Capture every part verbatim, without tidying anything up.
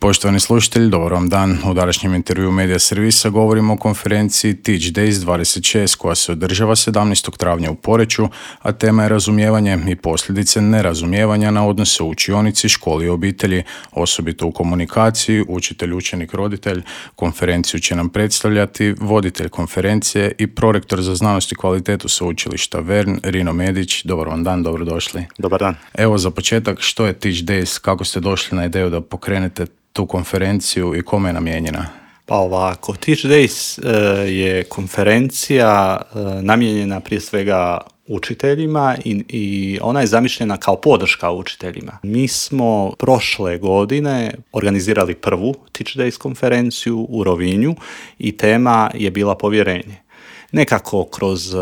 Poštovani slušatelji, dobar vam dan. U današnjem intervju Medija Servisa govorimo o konferenciji Teach Days dvadeset šest koja se održava sedamnaestog travnja u Poreču, a tema je razumijevanje i posljedice nerazumijevanja na odnose u učionici, školi i obitelji, osobito u komunikaciji, učitelj, učenik, roditelj. Konferenciju će nam predstavljati voditelj konferencije i prorektor za znanost i kvalitetu sveučilišta Vern, Rino Medić. Dobar vam dan, dobrodošli. Dobar dan. Evo za početak, što je Teach Days, kako ste došli na ideju da pokrenete tu konferenciju i kome je namijenjena? Pa ovako, Teach Days uh, je konferencija uh, namijenjena prije svega učiteljima i, i ona je zamišljena kao podrška učiteljima. Mi smo prošle godine organizirali prvu Teach Days konferenciju u Rovinju i tema je bila povjerenje. Nekako kroz uh,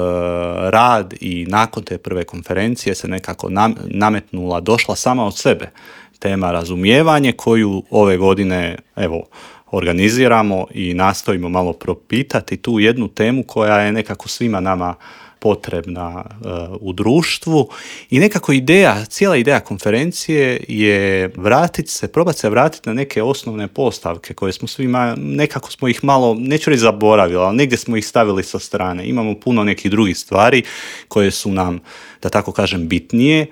rad i nakon te prve konferencije se nekako nam, nametnula, došla sama od sebe tema razumijevanje koju ove godine evo organiziramo i nastojimo malo propitati tu jednu temu koja je nekako svima nama potrebna uh, u društvu i nekako ideja, cijela ideja konferencije je vratiti se, probati se vratiti na neke osnovne postavke koje smo svima, nekako smo ih malo, neću reći zaboravili, ali negdje smo ih stavili sa strane. Imamo puno nekih drugih stvari koje su nam, da tako kažem, bitnije,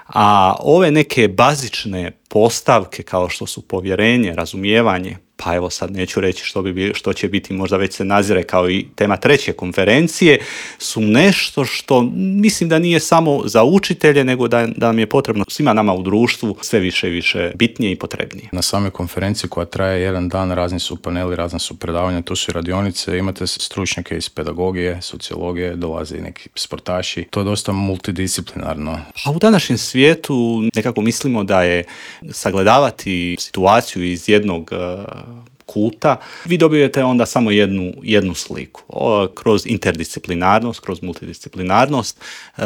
a ove neke bazične postavke kao što su povjerenje, razumijevanje, pa evo sad neću reći što, bi, što će biti, možda već se nazire kao i tema treće konferencije, su nešto što mislim da nije samo za učitelje, nego da, da nam je potrebno svima nama u društvu sve više i više bitnije i potrebnije. Na samoj konferenciji koja traje jedan dan, razni su paneli, razne su predavanja, tu su i radionice, imate stručnjake iz pedagogije, sociologije, dolaze i neki sportaši. To je dosta multidisciplinarno. A u današnjem svijetu nekako mislimo da je sagledavati situaciju iz jednog kuta, vi dobijete onda samo jednu, jednu sliku. O, kroz interdisciplinarnost, kroz multidisciplinarnost, e,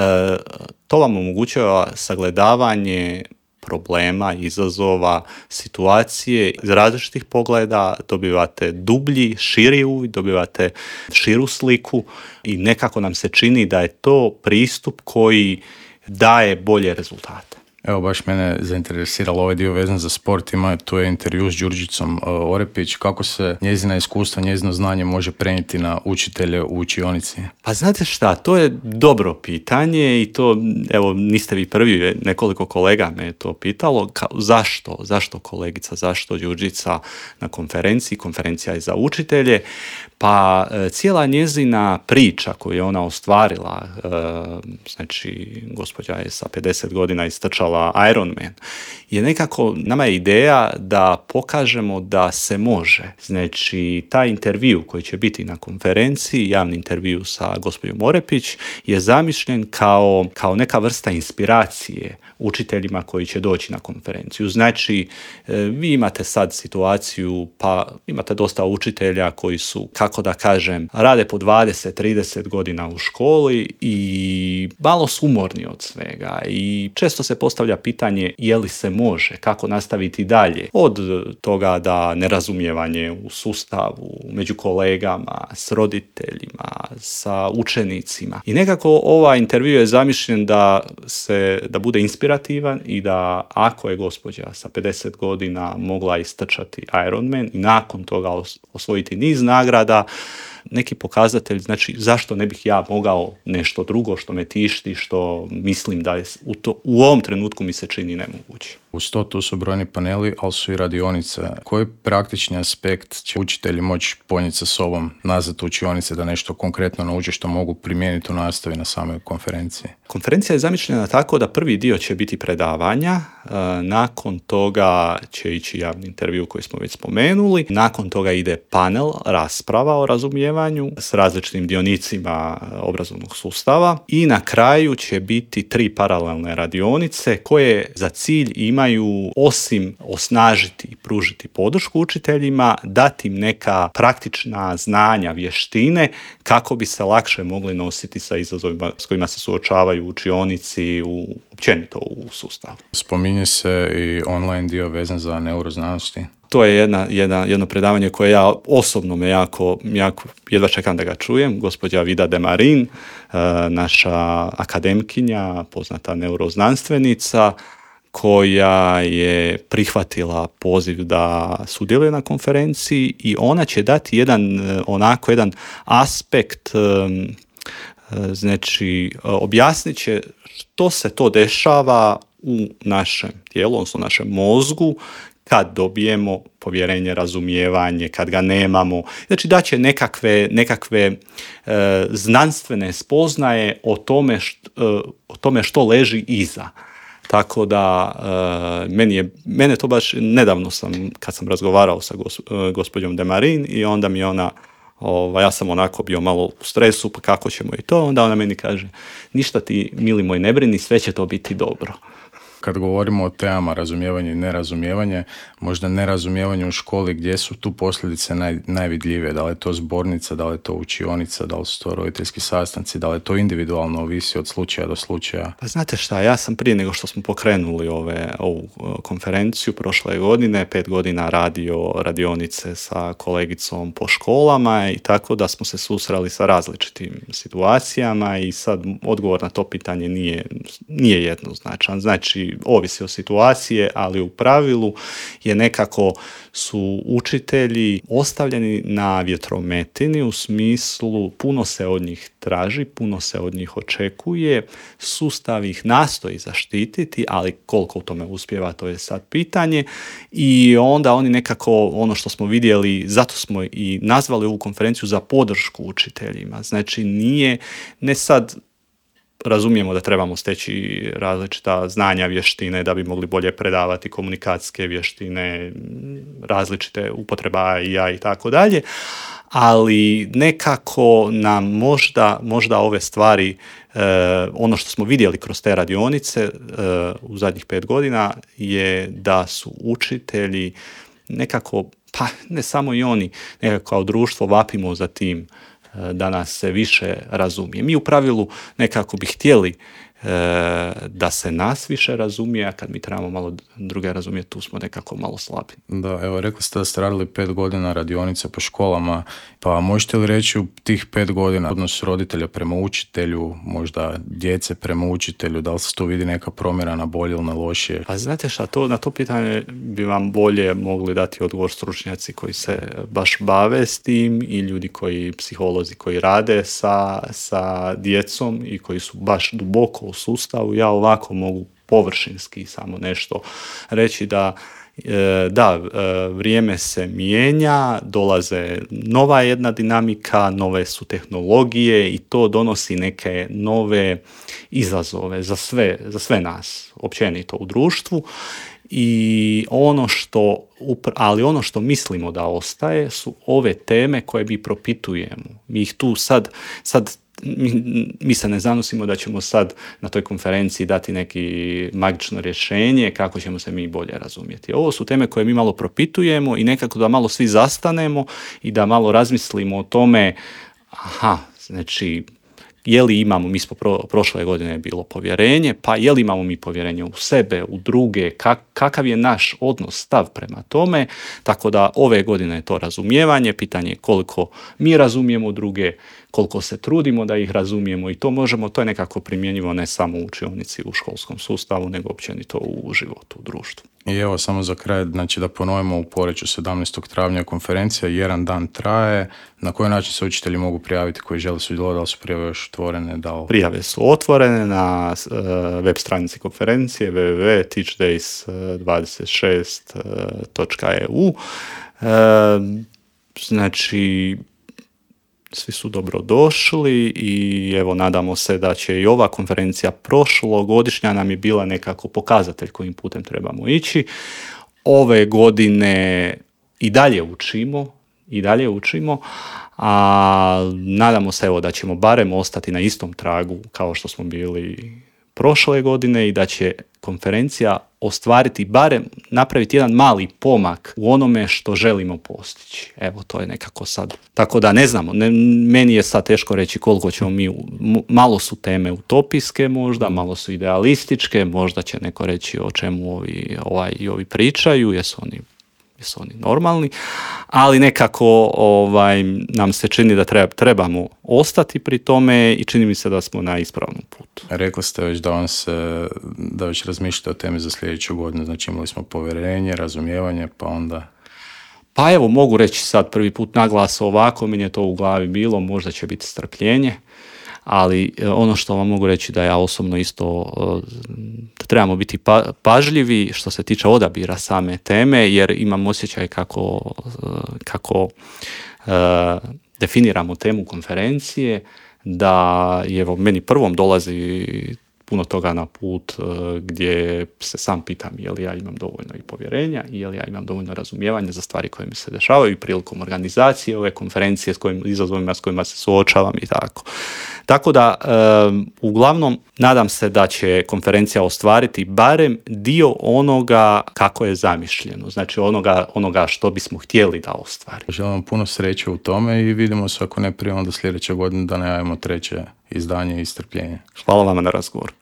to vam omogućava sagledavanje problema, izazova, situacije iz različitih pogleda, dobivate dublji, širi uvid, dobivate širu sliku i nekako nam se čini da je to pristup koji daje bolje rezultate. Evo, baš mene zainteresiralo ovaj dio vezan za sport. Ima tu je intervju s Đurđicom Orepić. Kako se njezina iskustva, njezino znanje može prenijeti na učitelje u učionici? Pa znate šta, to je dobro pitanje i to, evo, niste vi prvi, nekoliko kolega me je to pitalo. Ka, zašto? Zašto kolegica? Zašto Đurđica na konferenciji? Konferencija je za učitelje. Pa cijela njezina priča koju je ona ostvarila, znači gospođa je sa pedeset godina istrčala Ironman, je nekako, nama je ideja da pokažemo da se može. Znači taj intervju koji će biti na konferenciji, javni intervju sa gospođom Orepić, je zamišljen kao, kao neka vrsta inspiracije učiteljima koji će doći na konferenciju. Znači, vi imate sad situaciju, pa imate dosta učitelja koji su, kako da kažem, rade po dvadeset trideset godina u školi i malo su umorni od svega i često se postavlja pitanje je li se može, kako nastaviti dalje. Od toga da nerazumijevanje u sustavu, među kolegama, s roditeljima, sa učenicima. I nekako ovaj intervju je zamišljen da se, da bude inspirativan i da ako je gospođa sa pedeset godina mogla istrčati Ironman i nakon toga osvojiti niz nagrada, neki pokazatelj, znači zašto ne bih ja mogao nešto drugo što me tišti, što mislim da je u, to, u ovom trenutku mi se čini nemoguće. Uz to tu su brojni paneli, ali su i radionice. Koji praktični aspekt će učitelji moći ponijeti sa sobom nazad u učionice da nešto konkretno nauče što mogu primijeniti u nastavi na samoj konferenciji? Konferencija je zamišljena tako da prvi dio će biti predavanja, nakon toga će ići javni intervju koji smo već spomenuli, nakon toga ide panel, rasprava o razumijevanju s različitim dionicima obrazovnog sustava i na kraju će biti tri paralelne radionice koje za cilj imaju osim osnažiti i pružiti podršku učiteljima, dati im neka praktična znanja, vještine kako bi se lakše mogli nositi sa izazovima s kojima se suočavaju u učionici, u, općenito u sustavu. Spominje se i online dio vezan za neuroznanosti. To je jedna, jedna, jedno predavanje koje ja osobno me jako, jako jedva čekam da ga čujem. Gospođa Vida Demarin, naša akademkinja, poznata neuroznanstvenica, koja je prihvatila poziv da sudjeluje na konferenciji i ona će dati jedan onako jedan aspekt, znači objasnit će što se to dešava u našem tijelu, odnosno našem mozgu kad dobijemo povjerenje, razumijevanje, kad ga nemamo. Znači da će nekakve, nekakve e, znanstvene spoznaje o tome, št, e, o tome što leži iza. Tako da e, meni je, mene to baš nedavno sam, kad sam razgovarao sa gos, e, gospođom Demarin i onda mi ona, ovaj, ja sam onako bio malo u stresu, pa kako ćemo i to, onda ona meni kaže, ništa ti, mili moj, ne brini, sve će to biti dobro. Kad govorimo o temama razumijevanje i nerazumijevanje, možda nerazumijevanje u školi, gdje su tu posljedice naj, najvidljivije? Da li je to zbornica, da li je to učionica, da li su to roditeljski sastanci, da li je to individualno, ovisi od slučaja do slučaja? Pa znate šta, ja sam prije nego što smo pokrenuli ove, ovu konferenciju prošle godine, pet godina radio radionice sa kolegicom po školama i tako da smo se susreli sa različitim situacijama i sad odgovor na to pitanje nije, nije jednoznačan. Znači, ovisi o situacije, ali u pravilu je nekako su učitelji ostavljeni na vjetrometini u smislu puno se od njih traži, puno se od njih očekuje, sustav ih nastoji zaštititi, ali koliko u tome uspijeva, to je sad pitanje i onda oni nekako, ono što smo vidjeli, zato smo i nazvali ovu konferenciju za podršku učiteljima. Znači nije, ne sad razumijemo da trebamo steći različita znanja, vještine da bi mogli bolje predavati komunikacijske vještine, različite upotreba i ja i tako dalje, ali nekako nam možda, možda ove stvari, eh, ono što smo vidjeli kroz te radionice eh, u zadnjih pet godina je da su učitelji nekako, pa ne samo i oni, nekako kao društvo vapimo za tim da nas se više razumije. Mi u pravilu nekako bi htjeli e, da se nas više razumije, a kad mi trebamo malo druge razumjeti, tu smo nekako malo slabi. Da, evo, rekli ste da ste radili pet godina radionice po školama, pa možete li reći u tih pet godina odnos roditelja prema učitelju, možda djece prema učitelju, da li se tu vidi neka promjena na bolje ili na lošije? Pa znate šta, to, na to pitanje bi vam bolje mogli dati odgovor stručnjaci koji se baš bave s tim i ljudi koji, psiholozi koji rade sa, sa djecom i koji su baš duboko u sustavu. Ja ovako mogu površinski samo nešto reći da da, vrijeme se mijenja, dolaze nova jedna dinamika, nove su tehnologije i to donosi neke nove izazove za sve, za sve nas, općenito u društvu. I ono što, ali ono što mislimo da ostaje su ove teme koje mi propitujemo. Mi ih tu sad, sad Mi, mi se ne zanosimo da ćemo sad na toj konferenciji dati neki magično rješenje kako ćemo se mi bolje razumjeti. Ovo su teme koje mi malo propitujemo i nekako da malo svi zastanemo i da malo razmislimo o tome, aha, znači, je li imamo, mi smo pro, prošle godine je bilo povjerenje, pa je li imamo mi povjerenje u sebe, u druge, kak, kakav je naš odnos, stav prema tome, tako da ove godine je to razumijevanje, pitanje je koliko mi razumijemo druge, koliko se trudimo da ih razumijemo i to možemo, to je nekako primjenjivo ne samo u učionici, u školskom sustavu, nego općenito u životu, u društvu. I evo samo za kraj, znači da ponovimo, u Poreču sedamnaestog travnja konferencija, jedan dan traje, na koji način se učitelji mogu prijaviti koji žele sudjelovati, da li su prijave još otvorene? Da li... Prijave su otvorene na uh, web stranici konferencije w w w dot teach days dvadeset šest dot e u. Uh, znači, svi su dobrodošli i evo nadamo se da će i ova konferencija prošlogodišnja nam je bila nekako pokazatelj kojim putem trebamo ići. Ove godine i dalje učimo, i dalje učimo, a nadamo se evo da ćemo barem ostati na istom tragu kao što smo bili prošle godine i da će konferencija ostvariti, barem napraviti jedan mali pomak u onome što želimo postići. Evo, to je nekako sad. Tako da ne znamo, ne, meni je sad teško reći koliko ćemo mi, malo su teme utopijske možda, malo su idealističke, možda će neko reći o čemu ovi, ovaj, i ovi pričaju, jesu oni jesu oni normalni, ali nekako ovaj, nam se čini da treba, trebamo ostati pri tome i čini mi se da smo na ispravnom putu. Rekli ste već da vam se, da već razmišljate o temi za sljedeću godinu, znači imali smo povjerenje, razumijevanje, pa onda... Pa evo, mogu reći sad prvi put naglas ovako, meni je to u glavi bilo, možda će biti strpljenje, ali ono što vam mogu reći da ja osobno isto da trebamo biti pa, pažljivi što se tiče odabira same teme, jer imam osjećaj kako, kako uh, definiramo temu konferencije, da je evo, meni prvom dolazi puno toga na put uh, gdje se sam pitam je li ja imam dovoljno i povjerenja i je li ja imam dovoljno razumijevanja za stvari koje mi se dešavaju i prilikom organizacije ove konferencije s kojim izazovima s kojima se suočavam i tako. Tako da, um, uglavnom, nadam se da će konferencija ostvariti barem dio onoga kako je zamišljeno, znači onoga, onoga što bismo htjeli da ostvari. Želim vam puno sreće u tome i vidimo se ako ne prije onda sljedeće godine da najavimo treće izdanje i strpljenje. Hvala vama na razgovor.